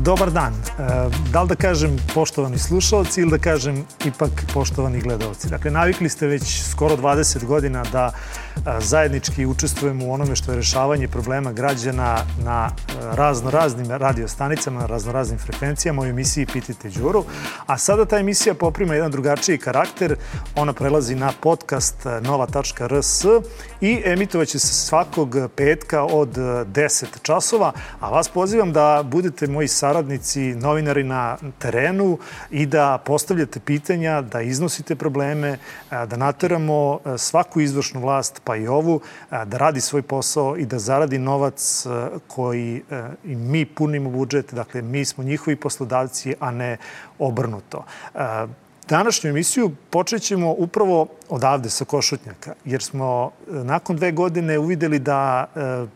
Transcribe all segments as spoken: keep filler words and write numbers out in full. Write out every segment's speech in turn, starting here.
Dobar dan. Da li da kažem poštovani slušalci ili da kažem ipak poštovani gledalci? Dakle, navikli ste već skoro dvadeset godina da zajednički učestvujemo u onome što je rešavanje problema građana na raznoraznim radiostanicama, na raznoraznim frekvencijama u emisiji Pitajte Đuru. A sada ta emisija poprima jedan drugačiji karakter. Ona prelazi na podcast nova tačka r s i emitovaće se svakog petka od deset časova. A vas pozivam da budete moji saradnici, novinari na terenu i da postavljate pitanja, da iznosite probleme, da nateramo svaku izvršnu vlast, pa i ovu, da radi svoj posao i da zaradi novac koji i mi punimo budžet. Dakle, mi smo njihovi poslodavci, a ne obrnuto. Današnju emisiju počet ćemo upravo odavde sa Košutnjaka, jer smo nakon dve godine uvideli da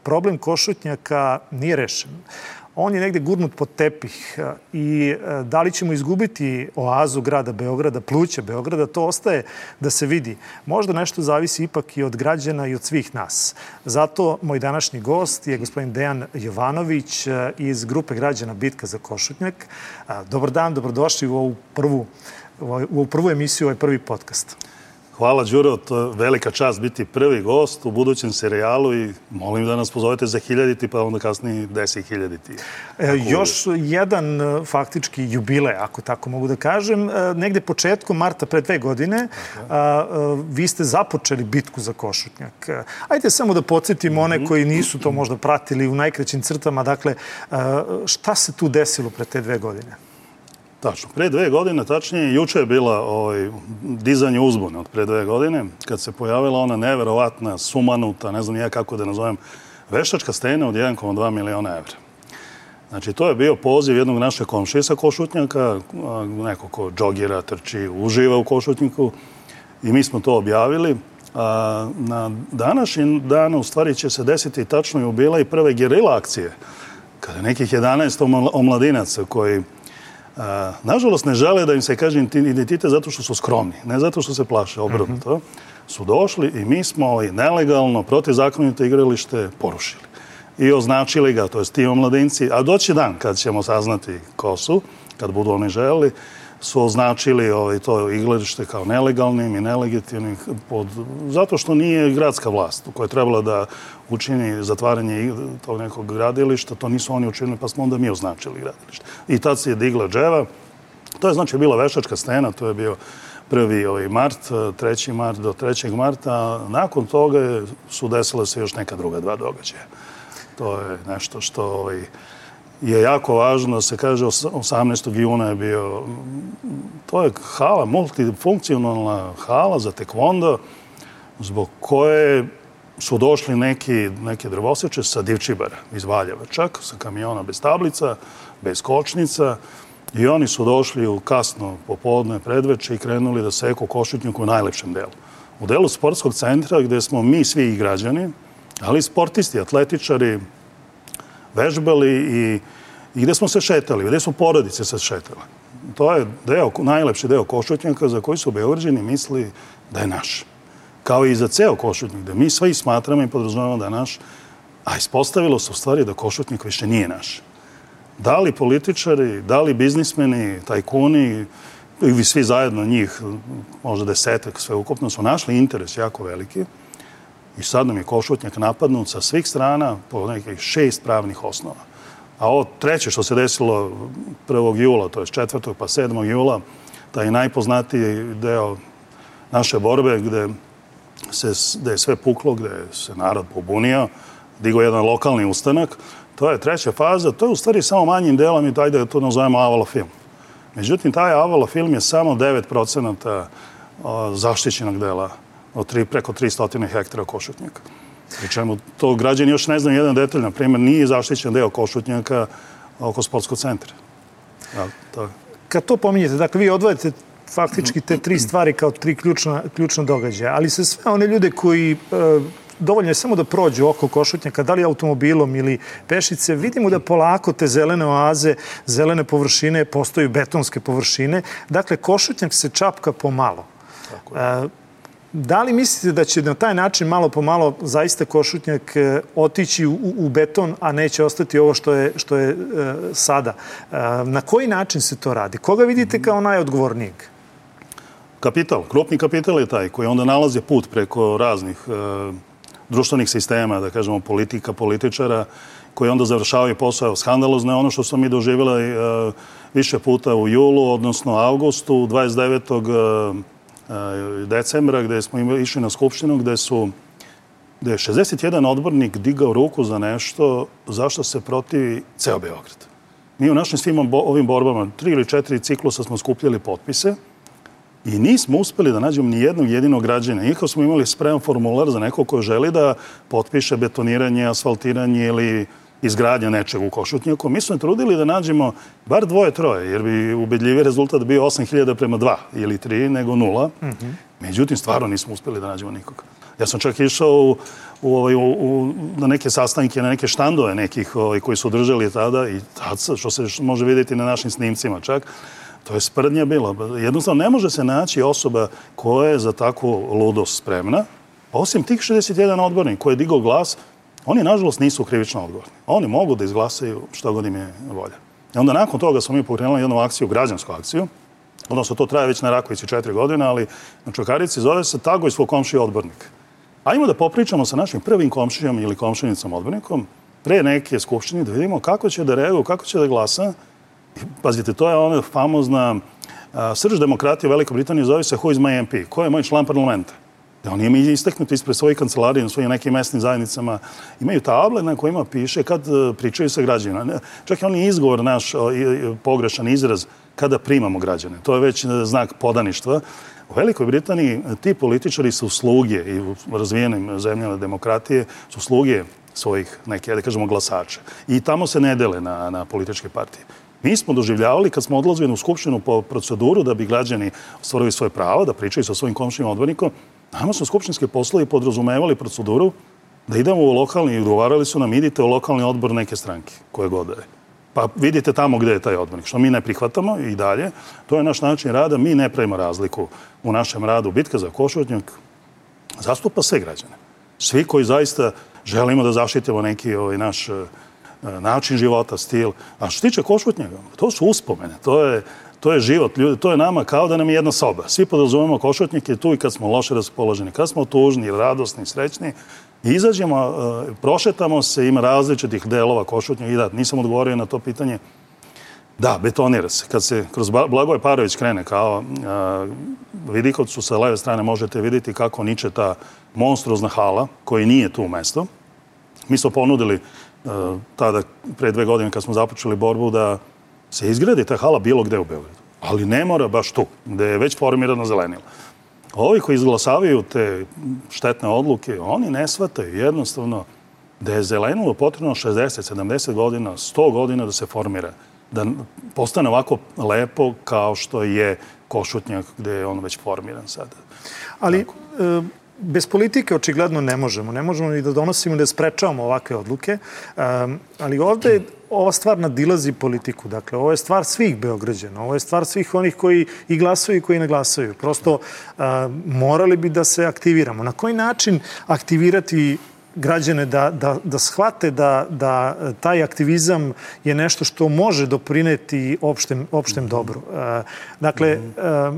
problem Košutnjaka nije rešen. On je negde gurnut pod tepih i da li ćemo izgubiti oazu grada Beograda, pluća Beograda, to ostaje da se vidi. Možda nešto zavisi ipak i od građana i od svih nas. Zato moj današnji gost je gospodin Dejan Jovanović iz grupe građana Bitka za Košutnjak. Dobar dan, dobrodošli u ovu prvu, u ovu prvu emisiju, ovaj prvi podcast. Hvala, Đuro, to je velika čast biti prvi gost u budućem serijalu i molim da nas pozovete za hiljaditi, pa onda kasnije deset hiljaditi. E, još jedan faktički jubilej, ako tako mogu da kažem. Negde početkom marta pre dve godine a, a, vi ste započeli bitku za Košutnjak. Ajde samo da podsjetimo one koji nisu to možda pratili u najkraćim crtama. Dakle, a, šta se tu desilo pre te dve godine? Tačno. Pre dve godine, tačnije, juče je bila ovaj, dizanje uzbune od pre dve godine, kad se pojavila ona neverovatna, sumanuta, ne znam ja kako da nazovem, veštačka stena od jedan zarez dva miliona evra. Znači, to je bio poziv jednog našeg komšije sa Košutnjaka, neko ko džogira, trči, uživa u Košutnjaku i mi smo to objavili. A na današnji dan, u stvari, će se desiti tačno jubilej prve gerila akcije, kada nekih jedanaest omladinaca koji A, nažalost, ne žele da im se kaže identitet zato što su skromni, ne zato što se plaše, obrnuto. Mm-hmm. Su došli i mi smo i nelegalno, protivzakonito igralište porušili. I označili ga, to jest ti omladinci, a doći dan kad ćemo saznati ko su, kad budu oni želeli, su označili ovaj, to igralište kao nelegalnim i nelegitimnim pod, zato što nije gradska vlast koja je trebala da učini zatvaranje tog nekog gradilišta. To nisu oni učinili, pa smo onda mi označili gradilište. I tad se je digla dževa. To je znači bila veštačka stena, to je bio prvi ovaj, mart, treći mart do trećeg marta. Nakon toga su desile se još neka druga dva događaja. To je nešto što ovaj, je jako važno da se kaže, osamnaestog juna je bio, to je hala, multifunkcionalna hala za tekvondo, zbog koje su došli neki, neki drvoseče sa Divčibara iz Valjeva, čak sa kamiona bez tablica, bez kočnica, i oni su došli u kasno popodne predveče i krenuli da seku Košutnjak u najlepšem delu. U delu sportskog centra gde smo mi svi i građani, ali sportisti, atletičari, vežbali i, i gde smo se šetali, gde su porodice se šetale. To je deo, najlepši deo Košutnjaka za koji su Beograđani misli da je naš. Kao i za ceo Košutnjak, da mi svi smatramo i podrazumevamo da je naš, a ispostavilo se u stvari da Košutnjak više nije naš. Da li političari, da li biznismeni, tajkuni, i svi zajedno njih, možda desetak sveukupno, su našli interes jako veliki. I sad nam je Košutnjak napadnut sa svih strana po nekih šest pravnih osnova. A ovo treće što se desilo prvog jula, to je četvrtog pa sedmog jula, taj najpoznatiji deo naše borbe gde, se, gde je sve puklo, gde se narod pobunio, digao jedan lokalni ustanak, to je treća faza. To je u stvari samo manjim delom i daj da to nazovemo Avala film. Međutim, taj Avala film je samo devet procenata zaštićenog dela od tri, preko tristo hektara Košutnjaka. Pri čemu to građani još ne znaju jedan detalj. Na primjer, nije zaštićen deo Košutnjaka oko sportskog centra. Ja, to... Kad to pominjete, dakle, vi odvojete faktički te tri stvari kao tri ključna, ključna događaja, ali se sve one ljude koji... E, dovoljno je samo da prođu oko Košutnjaka, da li automobilom ili pešice, vidimo da polako te zelene oaze, zelene površine postaju betonske površine. Dakle, Košutnjak se čapka pomalo. Tako je. Da li mislite da će na taj način malo po malo zaista Košutnjak otići u, u beton, a neće ostati ovo što je, što je e, sada? E, na koji način se to radi? Koga vidite kao najodgovornijeg? Kapital. Krupni kapital je taj koji onda nalazi put preko raznih e, društvenih sistema, da kažemo politika, političara, koji onda završavaju posao skandalozno. Ono što smo mi doživjeli e, više puta u julu, odnosno avgustu, dvadeset devetog decembra, gde smo išli na skupštinu, gde su gde je šezdeset jedan odbornik digao ruku za nešto zašto se protivi ceo Beograd. Mi u našim svim ovim borbama, tri ili četiri ciklusa smo skupljali potpise i nismo uspeli da nađemo ni jednog jedinog građana. Iako smo imali spreman formular za neko ko želi da potpiše betoniranje, asfaltiranje ili izgradnja nečeg u Košutnjaku. Mi smo trudili da nađemo bar dvoje, troje, jer bi ubedljivi rezultat bio osam hiljada prema dva ili tri, nego nula. Mm-hmm. Međutim, stvarno nismo uspeli da nađemo nikog. Ja sam čak išao u, u, u, u, na neke sastanke, na neke štandove nekih ovaj, koji su držali tada i tad, što se može vidjeti na našim snimcima čak, to je sprdnja bila. Jednostavno, ne može se naći osoba koja je za takvu ludost spremna. Osim tih šezdeset jedan odbornik koji je digao glas, oni, nažalost, nisu krivično odgovorni. Oni mogu da izglasaju što god im je volja. I onda nakon toga smo mi pokrenuli jednu akciju, građansku akciju, odnosno to traje već na Rakovici četiri godine, ali na Čukarici zove se Tagoj svog komšija odbornika. Ajmo da popričamo sa našim prvim komšijom ili komšinicom odbornikom pre neke skupštine da vidimo kako će da reaguju, kako će da glasa. I, pazite, to je ona famozna a, srž demokratije u Velikoj Britaniji, zove se Who is my M P? Ko je moj član parlamenta? Da oni imaju istaknuti ispred svojih kancelarija na svojim nekim mesnim zajednicama. Imaju table na kojima piše kad pričaju sa građanima. Čak i on je izgovor naš, pogrešan izraz, kada primamo građane. To je već znak podaništva. U Velikoj Britaniji ti političari su sluge i u razvijenim zemljama demokratije su sluge svojih neke, da kažemo, glasača. I tamo se ne dele na, na političke partije. Mi smo doživljavali kad smo odlazili u skupštinu po proceduru da bi građani ostvarili svoje pravo, da pričaju sa svojim komšijim odbornikom. Nama su skupštinske poslovi podrazumevali proceduru da idemo u lokalni i ugovarali su nam idite u lokalni odbor neke stranke koje god da je. Pa vidite tamo gde je taj odbornik. Što mi ne prihvatamo i dalje. To je naš način rada. Mi ne pravimo razliku u našem radu. Bitka za Košutnjak zastupa sve građane. Svi koji zaista želimo da zaštitimo neki ovaj, naš način života, stil. A što tiče Košutnjaka, to su uspomene. To je To je život ljudi, to je nama kao da nam je jedna soba. Svi podrazumemo Košutnjak je tu i kad smo loše raspoloženi, kad smo tužni, radosni, srećni. I izađemo, prošetamo se, ima različitih delova Košutnjaka i da, nisam odgovorio na to pitanje. Da, betonira se. Kad se kroz Blagoje Parović krene kao Vidikovcu sa leve strane možete vidjeti kako niče ta monstruozna hala koji nije tu mesto. Mi smo ponudili tada pre dve godine kad smo započeli borbu da se izgradi ta hala bilo gde u Beogradu. Ali ne mora baš tu, gde je već formirano zelenilo. Ovi koji izglasavaju te štetne odluke, oni ne shvataju jednostavno da je zelenilo potrebno šezdeset, sedamdeset godina, sto godina da se formira. Da postane ovako lepo kao što je Košutnjak gde je on već formiran sada. Ali e, bez politike očigledno ne možemo. Ne možemo ni da donosimo, da sprečavamo ovakve odluke. E, ali ovde ova stvar nadilazi politiku. Dakle, ovo je stvar svih Beograđana. Ovo je stvar svih onih koji i glasaju i koji ne glasaju. Prosto a, morali bi da se aktiviramo. Na koji način aktivirati građane da, da, da shvate da, da taj aktivizam je nešto što može doprineti opštem, opštem dobru? A, dakle, a,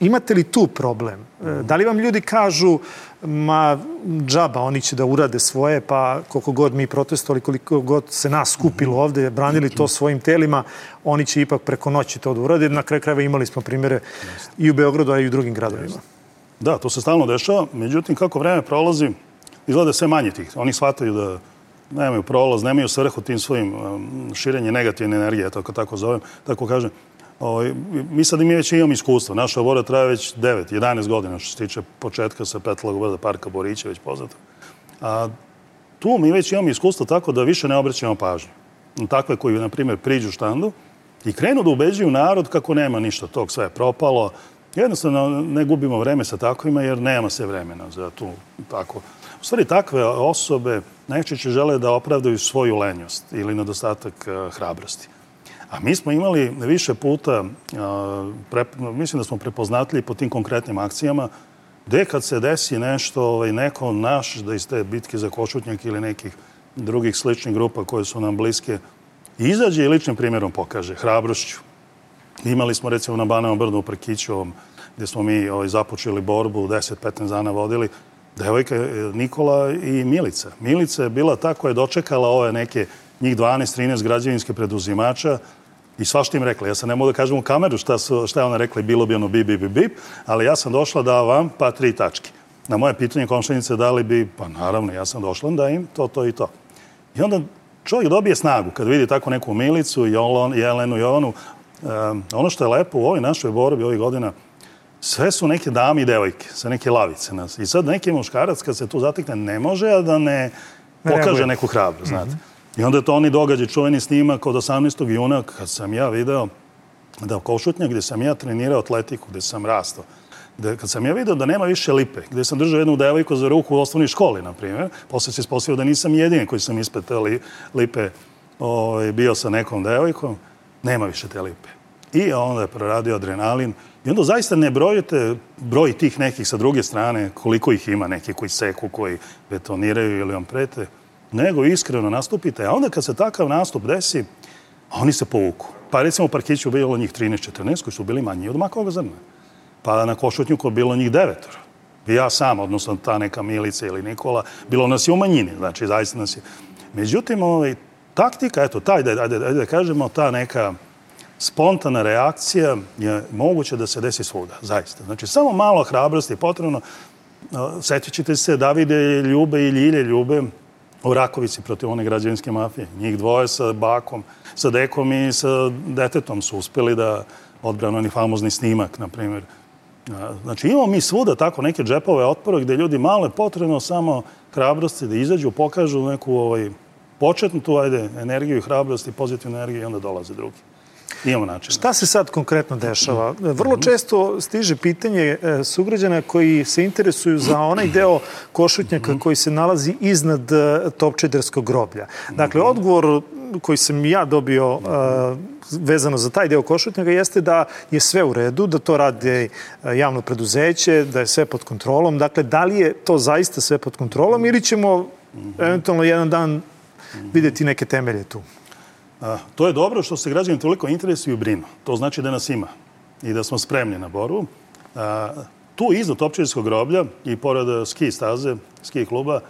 imate li tu problem? Da li vam ljudi kažu ma džaba, oni će da urade svoje, pa koliko god mi protestovali, koliko god se nas skupilo ovde, branili to svojim telima, oni će ipak preko noći to da urade. Na kraju krajeva imali smo primjere i u Beogradu, a i u drugim gradovima. Da, to se stalno dešava. Međutim, kako vreme prolazi, izgleda sve manje tih. Oni shvataju da nemaju prolaz, nemaju svrhu tim svojim širenje negativne energije, tako, tako zovem, tako kažem. O, mi sad mi već imamo iskustvo. Naša borba traje već devet jedanaest godina što se tiče početka sa Petlog brda Parka Borića, već poznato. A tu mi već imamo iskustvo tako da više ne obraćamo pažnju. Takve koji, na primjer, priđu štandu i krenu da ubeđuju narod kako nema ništa tog, sve je propalo. Jednostavno ne gubimo vreme sa takvima jer nema se vremena za tu tako. U stvari, takve osobe najčešće žele da opravdaju svoju lenjost ili nedostatak hrabrosti. A mi smo imali više puta, pre, mislim da smo prepoznatljivi po tim konkretnim akcijama, gde kad se desi nešto, ovaj, neko naš da iz te bitke za Košutnjak ili nekih drugih sličnih grupa koje su nam bliske, izađe i ličnim primjerom pokaže, hrabrošću. Imali smo recimo na Banovom brdu u Prkiću, gdje smo mi ovaj, započeli borbu, deset petnaest dana vodili, devojka Nikola i Milica. Milica je bila ta koja je dočekala ove neke njih dvanaest trinaest građevinske preduzimača i svašta im rekla. Ja sam ne mogu da kažem u kameru šta, su, šta je ona rekla i bilo bi ono bip, bip, bip, bip, ali ja sam došla da vam pa tri tačke. Na moje pitanje komšenice da li bi, pa naravno, ja sam došla da im to, to i to. I onda čovjek dobije snagu kad vidi tako neku Milicu, Jelenu, Jovanu. Um, ono što je lepo u ovoj našoj borbi ovih godina, sve su neke dame i devojke, sve neke lavice nas. I sad neki muškarac kad se tu zatekne ne može, a da ne pokaže neku hrabrost, znate. I onda je to oni događaj, čuveni snimak od osamnaestog juna, kad sam ja video da u Košutnjak, gdje sam ja trenirao atletiku, gdje sam rastao, gde, kad sam ja video da nema više lipe, gdje sam držao jednu devojku za ruku u osnovnoj školi, na primjer, posle se ispostavio da nisam jedini koji sam ispred te lipe ovaj, bio sa nekom devojkom, nema više te lipe. I onda je proradio adrenalin. I onda zaista ne brojite broj tih nekih sa druge strane, koliko ih ima, neki koji seku, koji betoniraju ili vam prete, nego iskreno nastupite. A onda kad se takav nastup desi, oni se povuku. Pa recimo u Parkiću bilo njih trinaest četrnaest koji su bili manji od makovog zrna. Pa na Košutnjuku bilo njih devetora. I ja sam, odnosno ta neka Milica ili Nikola, bilo nas je u manjini, znači zaista nas je. Međutim, ovaj, taktika, eto, taj, ajde, ajde, ajde da kažemo, ta neka spontana reakcija je moguće da se desi svuda, zaista. Znači, samo malo hrabrosti je potrebno. Sjetit ćete se Davide Ljube i Ljilje Ljube u Rakovici protiv one građevinske mafije. Njih dvoje sa bakom, sa dekom i sa detetom su uspjeli da odbranu oni famozni snimak, na primjer. Znači, imamo mi svuda tako neke džepove otpora gdje ljudi malo je potrebno samo hrabrosti da izađu, pokažu neku ovaj, početnu tu ajde, energiju i hrabrost i pozitivnu energiju i onda dolaze drugi. Imamo način. Šta se sad konkretno dešava? Vrlo često stiže pitanje sugrađana koji se interesuju za onaj deo Košutnjaka koji se nalazi iznad Topčiderskog groblja. Dakle, odgovor koji sam ja dobio vezano za taj deo Košutnjaka jeste da je sve u redu, da to radi javno preduzeće, da je sve pod kontrolom. Dakle, da li je to zaista sve pod kontrolom ili ćemo eventualno jedan dan vidjeti neke temelje tu? A, to je dobro što se građani toliko interesuju i brinu. To znači da nas ima i da smo spremni na borbu. A, tu iznad Topčiderskog groblja i pored ski staze, ski kluba,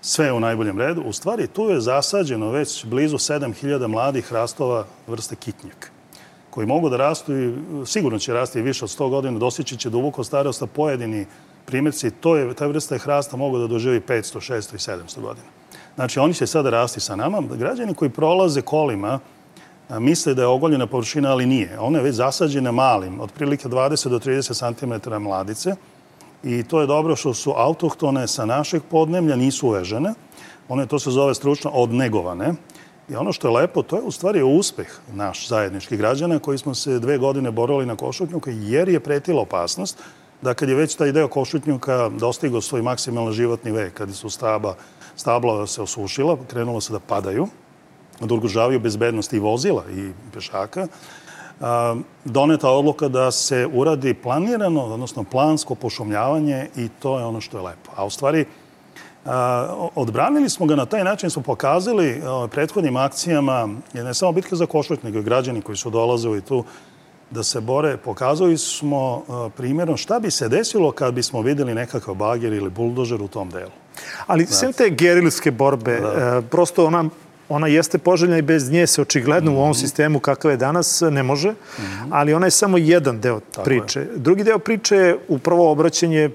sve je u najboljem redu. U stvari, tu je zasađeno već blizu sedam hiljada mladih hrastova vrste kitnjak, koji mogu da rastu i sigurno će rasti više od sto godina, dostići će duboko starost, a pojedini primjerci, to je, ta vrsta hrasta mogu da doživi petsto, šesto i sedamsto godina. Znači, oni će sada rasti sa nama. Građani koji prolaze kolima misle da je ogoljena površina, ali nije. Ona je već zasađena malim, otprilike dvadeset do trideset centimetara mladice. I to je dobro što su autohtone sa našeg podneblja, nisu uvežene. One, to se zove stručno, odnegovane. I ono što je lepo, to je u stvari uspeh naš zajedničkih građana koji smo se dve godine borili na Košutnjuku jer je pretila opasnost da kad je već taj deo Košutnjuka dostigao svoj maksimalni životni vek, kad su staba stabla se osušila, krenulo se da padaju, da ugrožavaju bezbednost i vozila i pešaka, doneta odluka da se uradi planirano, odnosno plansko pošumljavanje i to je ono što je lepo. A u stvari, odbranili smo ga na taj način, smo pokazali prethodnim akcijama, ne samo bitka za Košutnjak, nego i građani koji su dolazili tu da se bore, pokazali smo primjerom šta bi se desilo kad bismo vidjeli nekakav bager ili buldožer u tom delu. Ali sve te gerilske borbe, prosto ona, ona jeste poželjna i bez nje se očigledno u ovom sistemu kakav je danas ne može, ali ona je samo jedan deo priče. Drugi deo priče je upravo obraćanje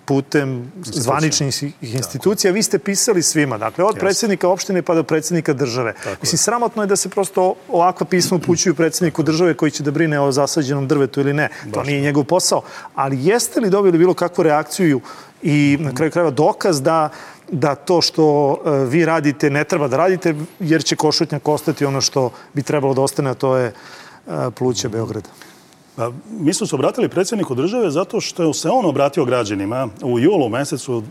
putem zvaničnih institucija. Vi ste pisali svima, dakle, od predsjednika opštine pa do predsjednika države. Mislim, sramotno je da se prosto ovakva pisma upućuju predsjedniku države koji će da brine o zasađenom drvetu ili ne. To nije njegov posao. Ali jeste li dobili bilo kakvu reakciju i na kraju krajeva dokaz da da to što vi radite ne treba da radite jer će Košutnjak ostati ono što bi trebalo da ostane, a to je pluća Beograda? Mi smo se obratili predsjedniku države zato što se on obratio građanima u julu mesecu.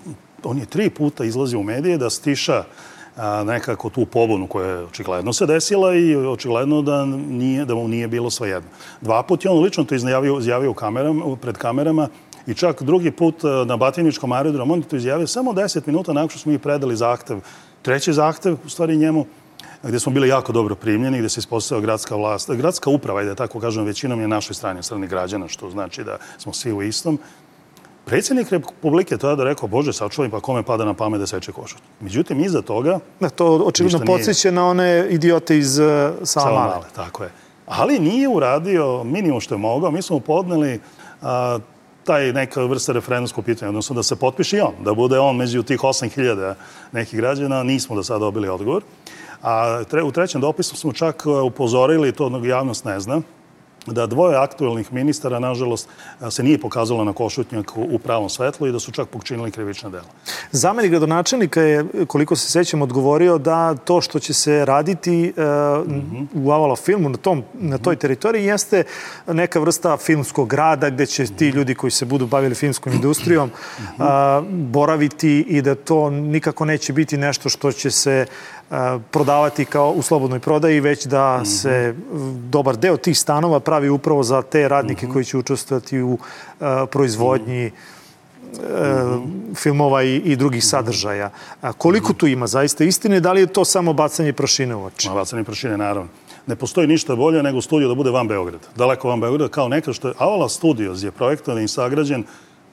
On je tri puta izlazio u medije da stiša nekako tu pobunu koja je očigledno se desila i očigledno da, nije, da mu nije bilo svejedno. Dva put je on lično to izjavio, izjavio u kamerama, pred kamerama I čak drugi put na Batiničkom aerodromu, on je to izjavio samo deset minuta nakon što smo mi predali zahtev, treći zahtev, u stvari njemu, gdje smo bili jako dobro primljeni, gdje se ispostavila gradska vlast, gradska uprava, i da tako kažem, većinom je našoj strani, strani građana, što znači da smo svi u istom. Predsjednik Republike tada rekao, Bože, sačuvaj, pa kome pada na pamet da seče košutnjak. Međutim, iza toga... Da, to očigledno podsjeća na one idiote iz uh, Savamale. Tako je. Ali nije uradio minimum što je mogao. Mi smo podneli a, taj neka vrsta referendumskog pitanja, odnosno da se potpiše i on, da bude on među tih osam hiljada nekih građana. Nismo do sada dobili odgovor. A tre, u trećem dopisu smo čak upozorili, to javnost ne zna, da dvoje aktuelnih ministara, nažalost, se nije pokazalo na košutnjak u pravom svetlu i da su čak počinili krivična dela. Zamenik gradonačelnika je, koliko se sećam, odgovorio da to što će se raditi uh, mm-hmm. u Avala filmu na, tom, na toj teritoriji jeste neka vrsta filmskog rada gde će ti ljudi koji se budu bavili filmskom industrijom uh, boraviti i da to nikako neće biti nešto što će se prodavati kao u slobodnoj prodaji, već da mm-hmm. se dobar deo tih stanova pravi upravo za te radnike mm-hmm. koji će učestvovati u uh, proizvodnji mm-hmm. filmova i, i drugih sadržaja. A koliko mm-hmm. tu ima zaista istine? Da li je to samo bacanje prašine u oči? Ma, bacanje prašine, naravno. Ne postoji ništa bolje nego studio da bude van Beograda. Daleko van Beograda, kao nekad što je Avala Studios je projektovan i sagrađen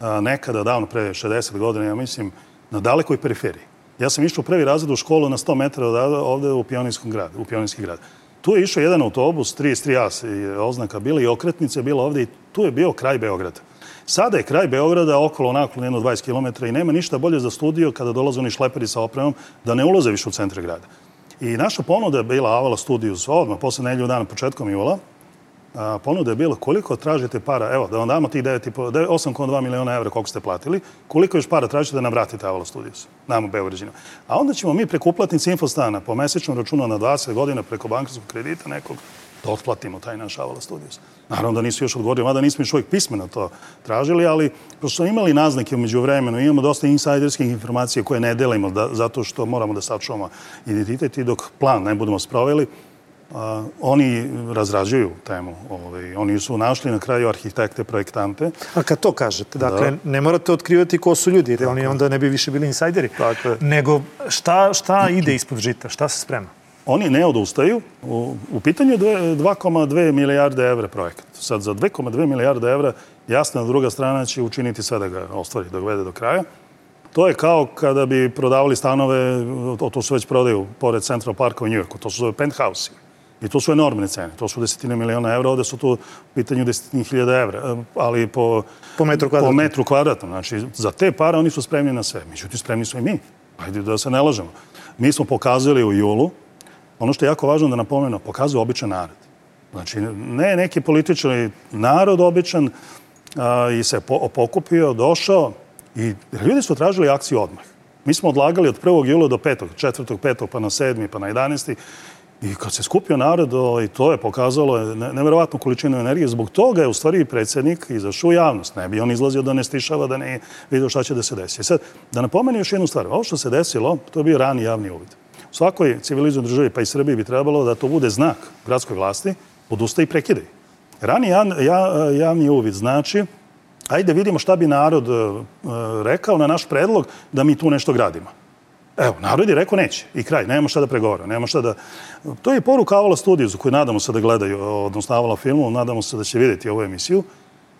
a, nekada davno pre šezdeset godina, ja mislim, na dalekoj periferiji. Ja sam išao u prvi razred u školu na sto metara od ovde u Pionirskom gradu, u Pionirski grad. Tu je išao jedan autobus, trideset tri A je oznaka bila i okretnica je bila ovde i tu je bio kraj Beograda. Sada je kraj Beograda okolo nakon jedno dvadeset kilometara i nema ništa bolje za studio kada dolaze oni šleperi sa opremom da ne ulaze više u centre grada. I naša ponuda je bila Avala Studios odmah, posle nedelju dana početkom jula. A, ponuda je bila koliko tražite para, evo da vam damo tih osam zarez dva miliona evra koliko ste platili, koliko još para tražite da nam vratite Avala Studios, nam u Beograđinu. A onda ćemo mi preko uplatnice Infostana po mesečnom računu na dvadeset godina preko bankarskog kredita nekog da otplatimo taj naš Avala Studios. Naravno da nisu još odgovorili, mada nismo još uvijek pismeno to tražili, ali pošto smo imali naznake umeđu vremenu, imamo dosta insajderskih informacija koje ne delimo da, zato što moramo da sačuvamo identitet i dok plan ne budemo sproveli, Uh, oni razrađuju temu. Ovaj, oni su našli na kraju arhitekte, projektante. A kad to kažete, dakle, da. Ne morate otkrivati ko su ljudi, jer tako. Oni onda ne bi više bili insajderi. Tako. Nego šta, šta ide ispod žita? Šta se sprema? Oni ne odustaju. U, u pitanju je dva zarez dve milijarde evra projekat. Sad za dva zarez dve milijarde evra jasno druga strana će učiniti sve da ga ostvari, da ga vede do kraja. To je kao kada bi prodavali stanove, to su već prodaju pored Central Parka u Njujorku, to su penthouse. I to su enormne cene. To su desetine miliona evra, ovde su tu u pitanju desetine hiljada evra, ali po, po metru kvadratnom. Po metru kvadratnom. Znači, za te pare oni su spremni na sve. Međutim, spremni su i mi. Ajde da se ne lažemo. Mi smo pokazali u julu, ono što je jako važno da napomenuo, pokazuju običan narod. Znači, ne neki politički narod običan a, i se po, pokupio, došao i ljudi su tražili akciju odmah. Mi smo odlagali od prvog jula do petog, četvrtog, petog, pa na sedmi, pa na jedanesti. I kad se skupio narod, i to je pokazalo neverovatnu količinu energije. Zbog toga je u stvari predsjednik izašao u javnost. Ne bi on izlazio da ne stišava, da ne vidio šta će da se desi. Sad, da napomenu još jednu stvar. Ovo što se desilo, to je bio rani javni uvid. U svakoj civilizovanoj državi, pa i Srbiji, bi trebalo da to bude znak gradskoj vlasti, odustaj i prekidaj. Rani javni uvid znači, ajde vidimo šta bi narod rekao na naš predlog da mi tu nešto gradimo. Evo, narod je rekao neće. I kraj. Nemamo šta da pregovara. Nemamo šta da... To je poruka Avala Studiosu koju nadamo se da gledaju, odnosno Avala filmu, nadamo se da će vidjeti ovu emisiju.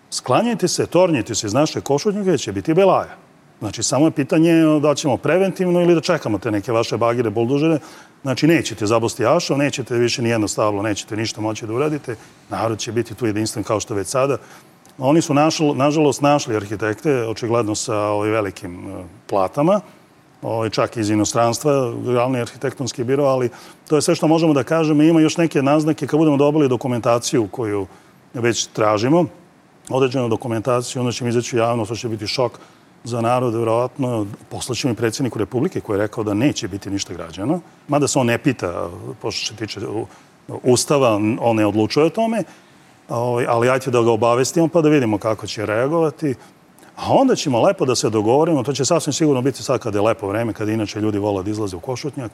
Sklanjajte se, tornjite se iz naše košutnjake, će biti belaja. Znači, samo je pitanje da ćemo preventivno ili da čekamo te neke vaše bagire, buldožere. Znači, nećete zabosti ašov, nećete više nijedno stablo, nećete ništa moći da uradite. Narod će biti tu jedinstven kao što već sada. Oni su, našl, nažalost, našli arhitekte, očigledno sa ovim velikim platama, čak iz inostranstva, glavni arhitektonski biro, ali to je sve što možemo da kažemo. Ima još neke naznake kad budemo dobili dokumentaciju koju već tražimo, određenu dokumentaciju, onda će mi izaći javno, to će biti šok za narod, vjerovatno. Poslaćemo i predsjedniku Republike koji je rekao da neće biti ništa građano, mada se on ne pita, pošto se tiče Ustava, on ne odlučuje o tome, ali ajte da ga obavestimo pa da vidimo kako će reagovati. A onda ćemo lepo da se dogovorimo, to će sasvim sigurno biti sad kada je lepo vreme, kada inače ljudi vole da izlaze u košutnjak,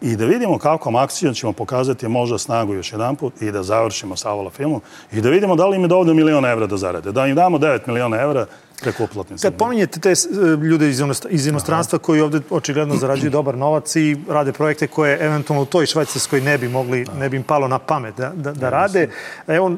i da vidimo kakvom akcijom ćemo pokazati možda snagu još jedan put i da završimo sa Avala filmom i da vidimo da li im je dovoljno miliona evra da zarade. Da im damo devet miliona evra. preko uplatnica. Kad pominjete te ljude iz inostranstva koji ovde očigledno zarađuju dobar novac i rade projekte koje eventualno u toj Švajcarskoj ne bi mogli, ne bi im palo na pamet da, da, da rade. Evo,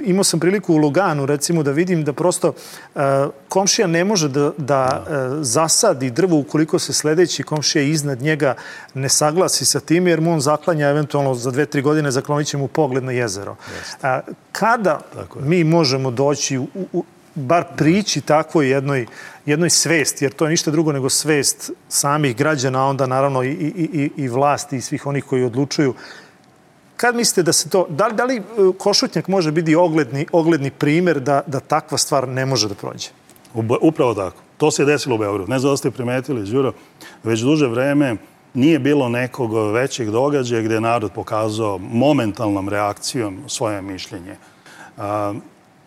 imao sam priliku u Luganu, recimo, da vidim da prosto uh, komšija ne može da, da uh, zasadi drvo ukoliko se sledeći komšija iznad njega ne saglasi sa tim, jer mu on zaklanja eventualno za dve, tri godine zaklonit će mu pogled na jezero. Uh, kada mi možemo doći u, u bar prići takvoj jednoj, jednoj svesti, jer to je ništa drugo nego svest samih građana, a onda naravno i, i, i, i vlasti i svih onih koji odlučuju. Kad mislite da se to... Da li, da li Košutnjak može biti ogledni, ogledni primer da, da takva stvar ne može da prođe? Upravo tako. To se je desilo u Beogradu. Ne znam da ste primetili, Đuro, već duže vreme nije bilo nekog većeg događaja gde je narod pokazao momentalnom reakcijom svoje mišljenje. A,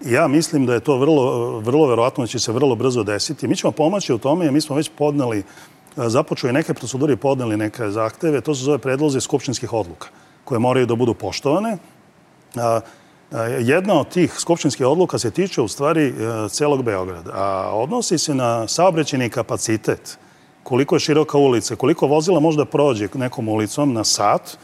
ja mislim da je to vrlo, vrlo verovatno da će se vrlo brzo desiti. Mi ćemo pomoći u tome, jer mi smo već podneli, započeli neke procedure i podneli neke zahteve. To se zove predlozi skupštinskih odluka, koje moraju da budu poštovane. Jedna od tih skupštinskih odluka se tiče u stvari celog Beograda, a odnosi se na saobraćajni kapacitet, koliko je široka ulica, koliko vozila može da prođe nekom ulicom na sat,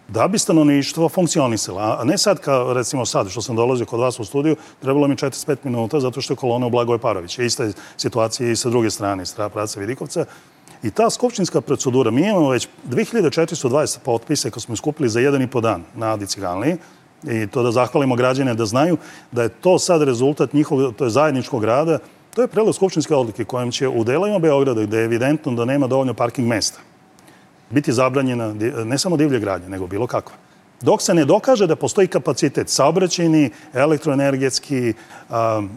da bi stanovništvo funkcionisalo. A ne sad, kao recimo sad, što sam dolazio kod vas u studiju, trebalo mi četrdeset pet minuta zato što je kolona u Blagoje Parovića. Ista je situacija i sa druge strane, iz pravca Vidikovca. I ta skupštinska procedura, mi imamo već dve hiljade četiristo dvadeset potpisa koje smo skupili za jedan i po dan na Adi Ciganliji. I to da zahvalimo građane da znaju da je to sad rezultat njihovog, to je zajedničkog rada. To je predlog skupštinske odluke kojom će u delovima Beograda, gde je evidentno da nema dovoljno parking mesta, biti zabranjena ne samo divlje gradnje, nego bilo kakva. Dok se ne dokaže da postoji kapacitet saobraćajni, elektroenergetski,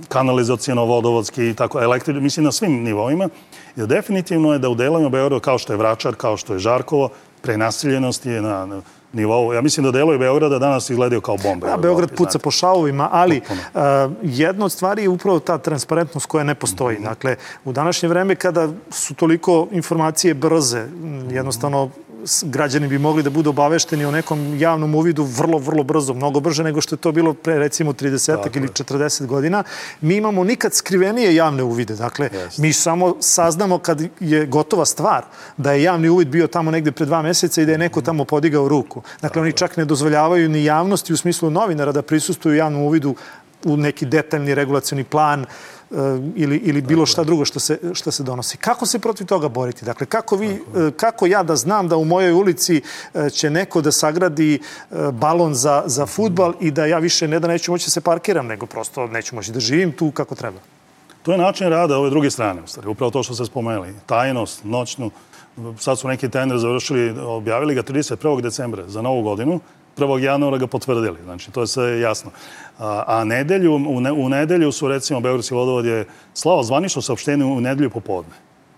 kanalizacijono, vodovodski, tako, elektri, mislim na svim nivoima, jer definitivno je da u delovima Beograda, kao što je Vračar, kao što je Žarkovo, prenaseljenost je na, na nivou. Ja mislim da delovi Beograda danas izgledaju kao bombe. Ja, Beograd puca po šavovima, ali uh, jedna od stvari je upravo ta transparentnost koja ne postoji. Mm-hmm. Dakle, u današnje vreme kada su toliko informacije brze, jednostavno građani bi mogli da budu obavešteni o nekom javnom uvidu vrlo, vrlo brzo, mnogo brže nego što je to bilo pre recimo trideset ili četrdeset godina. Mi imamo nikad skrivenije javne uvide. Dakle, yes. mi samo saznamo kad je gotova stvar da je javni uvid bio tamo negde pre dva meseca i da je neko tamo podigao ruku. Dakle, oni čak ne dozvoljavaju ni javnosti u smislu novinara da prisustuju javnom uvidu u neki detaljni regulacioni plan ili, ili bilo šta drugo što se, što se donosi. Kako se protiv toga boriti? Dakle, kako, vi, kako ja da znam da u mojoj ulici će neko da sagradi balon za, za fudbal i da ja više ne da neću moći da se parkiram, nego prosto neću moći da živim tu kako treba? To je način rada ove druge strane, u stvari. Upravo to što ste spomenuli. Tajnost, noćnu. Sad su neki tender završili, objavili ga trideset prvog decembra za novu godinu. prvog januara ga potvrdili. Znači, to je sve jasno. A, a nedelju, u, ne, u nedelju su, recimo, Beogradski vodovod je slao zvanično saopštenje u nedelju popodne.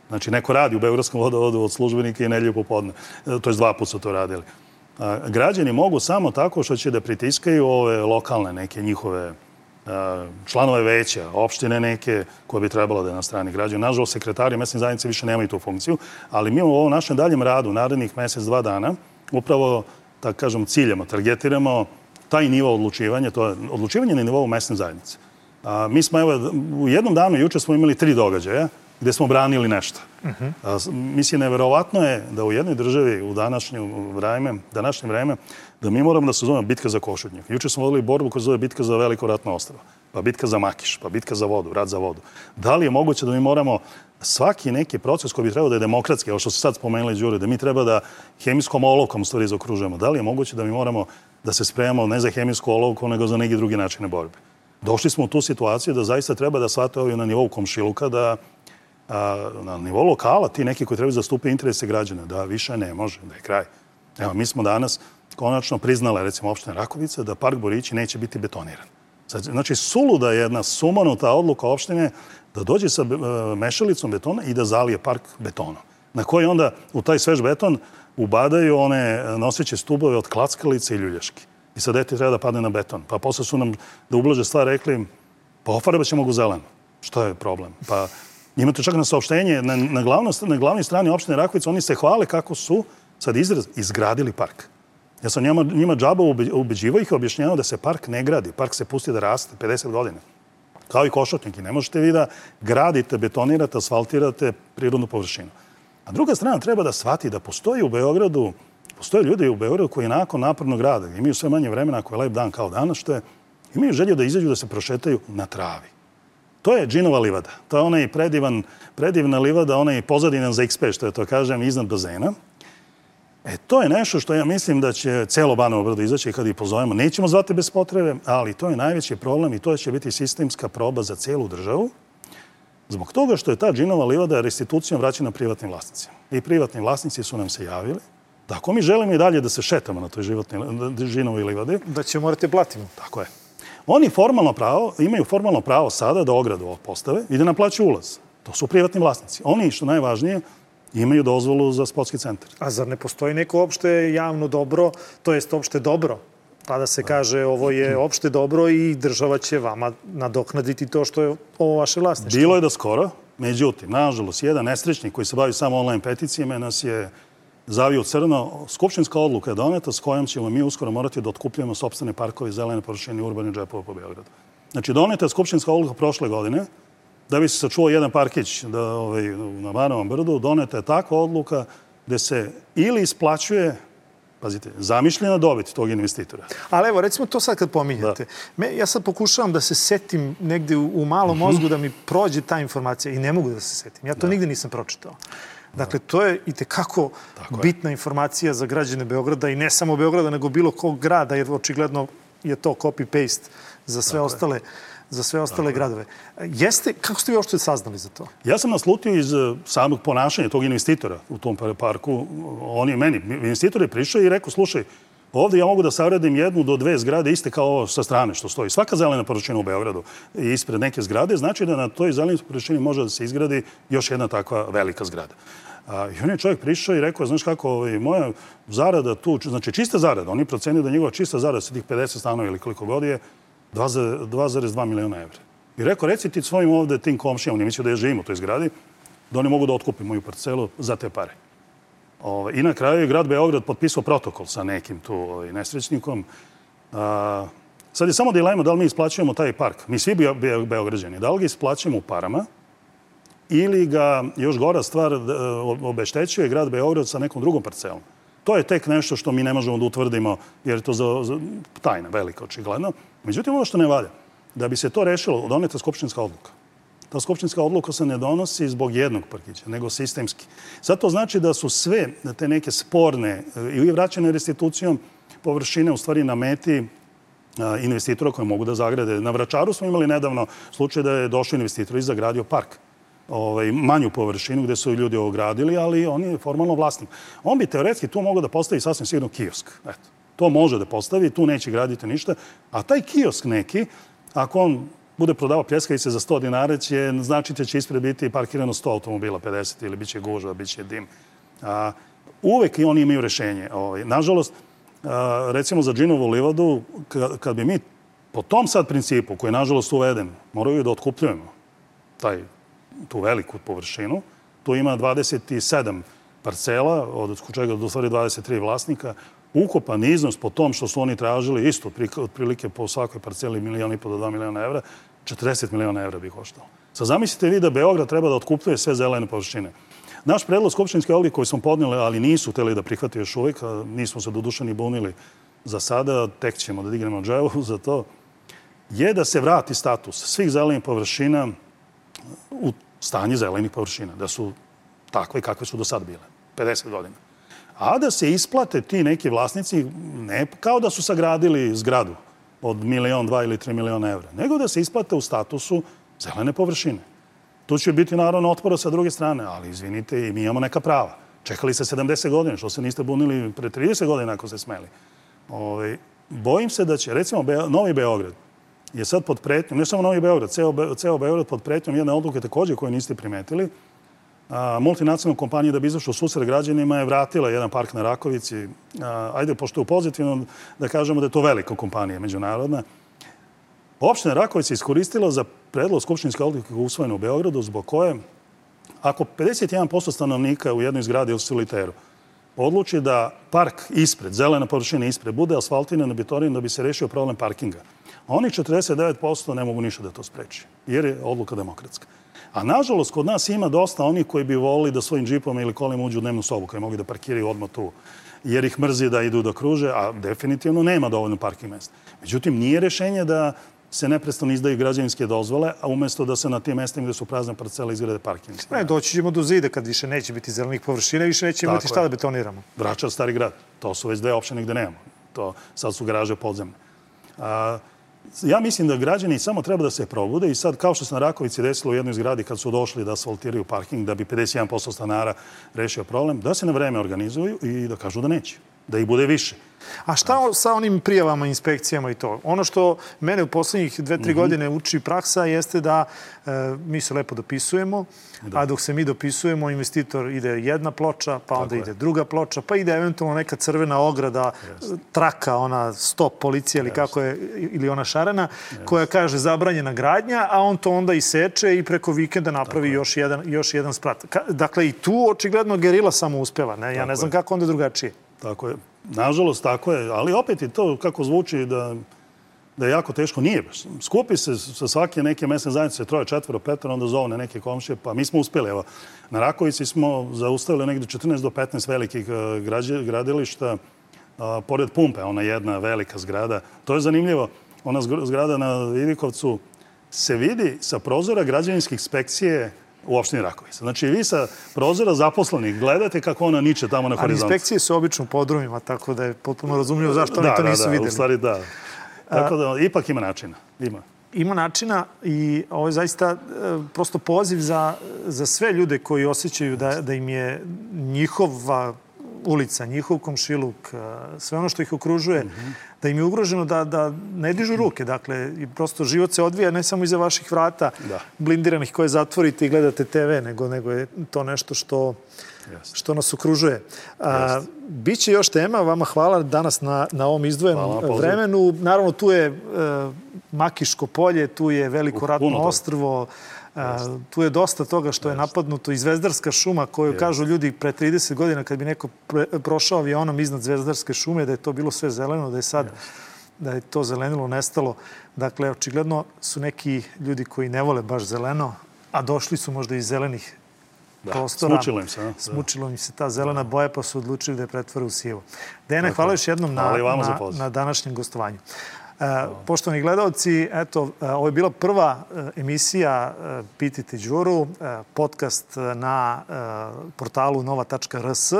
Znači, neko radi u Beogradskom vodovodu od službenika i nedelju popodne. To je dva puta su to radili. A, građani mogu samo tako što će da pritiskaju ove lokalne neke njihove a, članove veća, opštine neke koje bi trebalo da je na strani građana. Nažalost, sekretari mesne zajednice više nemaju tu funkciju, ali mi u ovom našem daljem radu, narednih mesec, dva dana, upravo tako kažem, ciljamo, targetiramo taj nivo odlučivanja, to je odlučivanje na nivou mesne zajednice. A, mi smo, evo, u jednom danu, juče smo imali tri događaja gde smo branili nešto. Uh-huh. A, mislim, neverovatno je da u jednoj državi u današnje vreme, današnje vreme, da mi moramo da se zovemo bitka za Košutnjak. Juče smo vodili borbu koja se zove bitka za Veliko ratno ostrvo, pa bitka za Makiš, pa bitka za vodu, rat za vodu. Da li je moguće da mi moramo svaki neki proces koji bi trebao da je demokratski, ovo što se sad spomenuli, Đure, da mi treba da hemijskom olovkom stvari zaokružujemo, da li je moguće da mi moramo da se spremamo ne za hemijsku olovku, nego za neki drugi načine borbe? Došli smo u tu situaciju da zaista treba da shvate ovi na nivou komšiluka, da a, na nivou lokala ti neki koji trebaju zastupiti interese građana, da više ne može, da je kraj. Evo, mi smo danas konačno priznale, recimo, opština Rakovica, da park Borići neće biti betoniran. Znači, suluda je jedna sumanuta odluka opštine da dođe sa mešalicom betona i da zalije park betonom. Na koji onda u taj svež beton ubadaju one noseće stubove od klackalice i ljuljaški. I sad dete treba da padne na beton. Pa posle su nam da ublaže stvar rekli, pa ofarbat ćemo ga u zeleno. Što je problem? Pa imate čak na saopštenje, na, na, glavno, na glavnoj strani opštine Rakovica, oni se hvale kako su, sad izraz, izgradili park. Ja sam njima, njima džaba ubeđivao ih i objašnjavao da se park ne gradi. Park se pusti da raste pedeset godina. Kao i košotnjaki. Ne možete vi da gradite, betonirate, asfaltirate prirodnu površinu. A druga strana treba da shvati da postoji u Beogradu, postoje ljudi u Beogradu koji nakon napornog rada imaju sve manje vremena ako je lep dan kao danas, što je, imaju želju da izađu da se prošetaju na travi. To je Džinova livada. To je onaj predivan, predivna livada, onaj pozadinan za X P, što je to kažem, iznad bazena. E, to je nešto što ja mislim da će celo Banovo Brdo izaći kad ih pozovemo. Nećemo zvati bez potrebe, ali to je najveći problem i to će biti sistemska proba za celu državu. Zbog toga što je ta Džinova livada restitucijom vraćena privatnim vlasnicima. I privatni vlasnici su nam se javili da ako mi želimo i dalje da se šetamo na toj Džinovoj livadi, da će morate platimo. Tako je. Oni formalno pravo, imaju formalno pravo sada da ogradu postave i da naplaću ulaz. To su privatni vlasnici. Oni, što najvažnije, imaju dozvolu za sportski centar. A zar ne postoji neko opšte javno dobro, to jest opšte dobro? Pa da se kaže ovo je opšte dobro i država će vama nadoknaditi to što je ovo vaše vlasništvo. Bilo je da skoro, međutim, nažalost, jedan nesrećnik koji se bavi samo online peticijama nas je zavio crno. Skupštinska odluka je doneta s kojom ćemo mi uskoro morati da otkupljujemo sopstvene parkove, zelene površine i urbane džepove po Beogradu. Znači, doneta je skupštinska odluka prošle godine da bi se sačuvao jedan parkić da, ovaj, na Banovom Brdu. Doneta je takva odluka gde se ili isplaćuje, pazite, zamišljena dobit tog investitora. Ali evo, recimo to sad kad pominjate. Me, ja sad pokušavam da se setim negde u, u malom mozgu da mi prođe ta informacija i ne mogu da se setim. Ja to da. nigde nisam pročitao. Dakle, to je i tekako bitna informacija za građane Beograda i ne samo Beograda, nego bilo kog grada, jer očigledno je to copy-paste za sve Dakle. ostale za sve ostale gradove. Jeste, kako ste vi uopšte saznali za to? Ja sam naslutio iz samog ponašanja tog investitora u tom parku. On je meni, investitor je prišao i rekao, slušaj, ovdje ja mogu da savredim jednu do dve zgrade iste kao ovo sa strane što stoji. Svaka zelena površina u Beogradu ispred neke zgrade znači da na toj zelenoj površini može da se izgradi još jedna takva velika zgrada. A, I on je čovjek prišao i rekao, znaš kako, ovaj, moja zarada tu, znači čista zarada, oni procenio da njegova čista zarada sa tih pedeset stanova ili koliko god je, dva zarez dva miliona evra. I rekao, reci ti svojim ovde tim komšijama, oni mislio da je živim u toj zgradi, da oni mogu da otkupi moju parcelu za te pare. Ove, I na kraju je grad Beograd potpisao protokol sa nekim tu ovaj, nesrećnikom. A, sad je samo dilema da li mi isplaćujemo taj park. Mi svi be, be, Beograđani, da li ga isplaćujemo u parama ili ga, još gora stvar, obeštećuje grad Beograd sa nekom drugom parcelom. To je tek nešto što mi ne možemo da utvrdimo, jer je to za, za, tajna velika, očigledno. Međutim, ovo što ne valja, da bi se to rešilo, doneta skupštinska odluka. Ta skupštinska odluka se ne donosi zbog jednog parkića, nego sistemski. Zato znači da su sve te neke sporne ili vraćene restitucijom površine u stvari na meti investitora koje mogu da zagrade. Na Vračaru smo imali nedavno slučaj da je došao investitor i zagradio park. Ovaj, manju površinu gde su ljudi ogradili, ali on je formalno vlasnik. On bi teoretski tu mogao da postavi sasvim sigurno kiosk. Eto, to može da postavi, tu neće graditi ništa. A taj kiosk neki, ako on bude prodavao pljeskavice za sto dinara, će značiti će ispred biti parkirano sto automobila, pedeset ili bit će gužva, bit će dim. A, uvek i oni imaju rešenje. Ovaj, nažalost, a, recimo za Džinovu livadu, kad, kad bi mi po tom sad principu, koji je nažalost uveden, moraju da otkupljujemo taj tu veliku površinu. Tu ima dvadeset sedam parcela, od čega do stvari dvadeset tri vlasnika. Ukupan iznos po tom što su oni tražili, isto otprilike po svakoj parceli milijon i po do dva miliona evra, četrdeset miliona evra bi koštalo. Sad zamislite vi da Beograd treba da otkupljuje sve zelene površine. Naš predlog skupštinske odluke koji smo podnijeli, ali nisu hteli da prihvate još uvijek, nismo se doduše ni bunili za sada, tek ćemo da dignemo dževu za to, je da se vrati status svih zelenih površina u stanje zelenih površina, da su takve kakve su do sad bile, pedeset godina. A da se isplate ti neki vlasnici, ne kao da su sagradili zgradu od milion, dva ili tri miliona evra, nego da se isplate u statusu zelene površine. Tu će biti naravno otpora sa druge strane, ali izvinite, i mi imamo neka prava. Čekali ste sedamdeset godina, što se niste bunili pre trideset godina ako ste smeli. Ove, bojim se da će, recimo, Be Novi Beograd je sad pod pretnjom, ne samo Novi Beograd, ceo, Be ceo Beograd pod pretnjom jedne odluke također koje niste primetili. A, multinacionalna kompanija da bi izašla u susret građanima je vratila jedan park na Rakovici. A, ajde, pošto je pozitivno da kažemo da je to velika kompanija međunarodna. Opština Rakovica je iskoristila za predlog skupštinske odluke usvojene u Beogradu, zbog koje, ako pedeset jedan posto stanovnika u jednoj zgradi u Soliteru odluči da park ispred, zelena površina ispred, bude asfaltiran betonom da bi se rešio problem parkinga, oni četrdeset devet posto ne mogu ništa da to spreči, jer je odluka demokratska. A nažalost, kod nas ima dosta onih koji bi volili da svojim džipom ili kolima uđu u dnevnu sobu, koji mogu da parkiraju odmah tu, jer ih mrzi da idu da kruže, a definitivno nema dovoljno parking mesta. Međutim, nije rešenje da se neprestano izdaju građevinske dozvole, a umjesto da se na tim mestima gde su prazne parcele izgrade parking. Ne, doći ćemo do zida kad više neće biti zelenih površina, više neće imati šta da betoniramo. Vračar, Stari grad. To su već dve opštine gde nemamo. To sad su garaže podzemne. A, ja mislim da građani samo treba da se probude i sad, kao što se na Rakovici desilo u jednoj zgradi kad su došli da asfaltiraju parking, da bi pedeset jedan posto stanara rešio problem, da se na vreme organizuju i da kažu da neće, da ih bude više. A šta sa onim prijavama, inspekcijama i to? Ono što mene u poslednjih dve, tri godine uči praksa jeste da e, mi se lepo dopisujemo, a dok se mi dopisujemo, investitor ide jedna ploča, pa onda ide druga ploča, pa ide eventualno neka crvena ograda, traka, ona stop policija ili kako je, ili ona šarena, koja kaže zabranjena gradnja, a on to onda iseče i preko vikenda napravi još jedan, još jedan sprat. Dakle, i tu očigledno gerila samo uspeva. Ne? Ja ne znam kako onda drugačije. Tako je. Nažalost, tako je. Ali opet i to kako zvuči da, da je jako teško. Nije. Skupi se sa svake neke mesne zajednice, troje, četvoro, petoro, onda zovne neke komšije. Pa mi smo uspjeli. Evo, na Rakovici smo zaustavili negdje četrnaest do petnaest velikih građe, gradilišta. A, pored pumpe, ona jedna velika zgrada. To je zanimljivo. Ona zgrada na Vidikovcu se vidi sa prozora građevinske inspekcije u opštini Rakovica. Znači, vi sa prozora zaposlenih gledate kako ona niče tamo na horizontu. Ali inspekcije su obično u podrumima, tako da je potpuno razumljivo zašto oni to nisu vidjeli. Da, da, u stvari da. Tako da, ipak ima načina. Ima. Ima načina i ovo je zaista prosto poziv za, za sve ljude koji osjećaju da, da im je njihova ulica, njihov komšiluk, sve ono što ih okružuje, da im je ugroženo da, da ne dižu ruke. Dakle, prosto život se odvija ne samo iza vaših vrata blindiranih koje zatvorite i gledate te ve, nego, nego je to nešto što, što nas okružuje. A, biće još tema. Vama hvala danas na, na ovom izdvojenom vremenu. Naravno, tu je e, Makiško polje, tu je Veliko ratno ostrvo, tu je dosta toga što je napadnuto i Zvezdarska šuma koju kažu ljudi pre trideset godina kad bi neko prošao avionom iznad Zvezdarske šume da je to bilo sve zeleno, da je sad da je to zelenilo nestalo. Dakle, očigledno su neki ljudi koji ne vole baš zeleno, a došli su možda iz zelenih prostora. Smučilo im se. Smučilo im se ta zelena boja pa su odlučili da je pretvore u sijevo. Dejane, hvala još jednom na, na, na današnjem gostovanju. Poštovani gledalci, eto, ovo je bila prva emisija Pitajte Đuru, podcast na portalu nova tačka er es.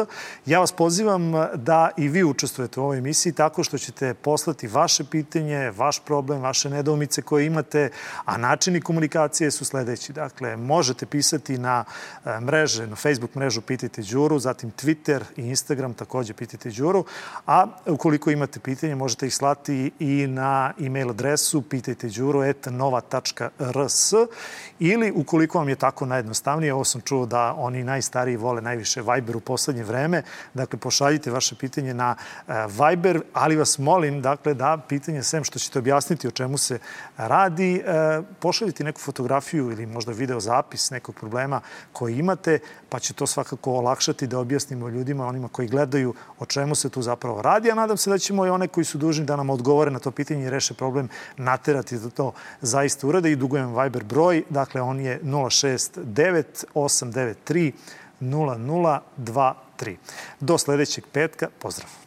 Ja vas pozivam da i vi učestvujete u ovoj emisiji tako što ćete poslati vaše pitanje, vaš problem, vaše nedoumice koje imate, a načini komunikacije su sledeći. Dakle, možete pisati na mreže, na Facebook mrežu Pitajte Đuru, zatim Twitter i Instagram također Pitajte Đuru, a ukoliko imate pitanje možete ih slati i na na e-mail adresu pitajte đuro et nova tačka er es ili ukoliko vam je tako najjednostavnije, ovo sam čuo da oni najstariji vole najviše Viber u poslednje vreme, dakle pošaljite vaše pitanje na Viber, ali vas molim dakle da pitanje sem što ćete objasniti o čemu se radi, pošaljite neku fotografiju ili možda video zapis nekog problema koji imate, pa će to svakako olakšati da objasnimo ljudima, onima koji gledaju o čemu se tu zapravo radi, a nadam se da ćemo i one koji su dužni da nam odgovore na to pitanje i reše problem naterati da to zaista urade i dugujem Viber broj, dakle on je nula šest devet osam devet tri nula nula dva tri. Do sledećeg petka, pozdrav!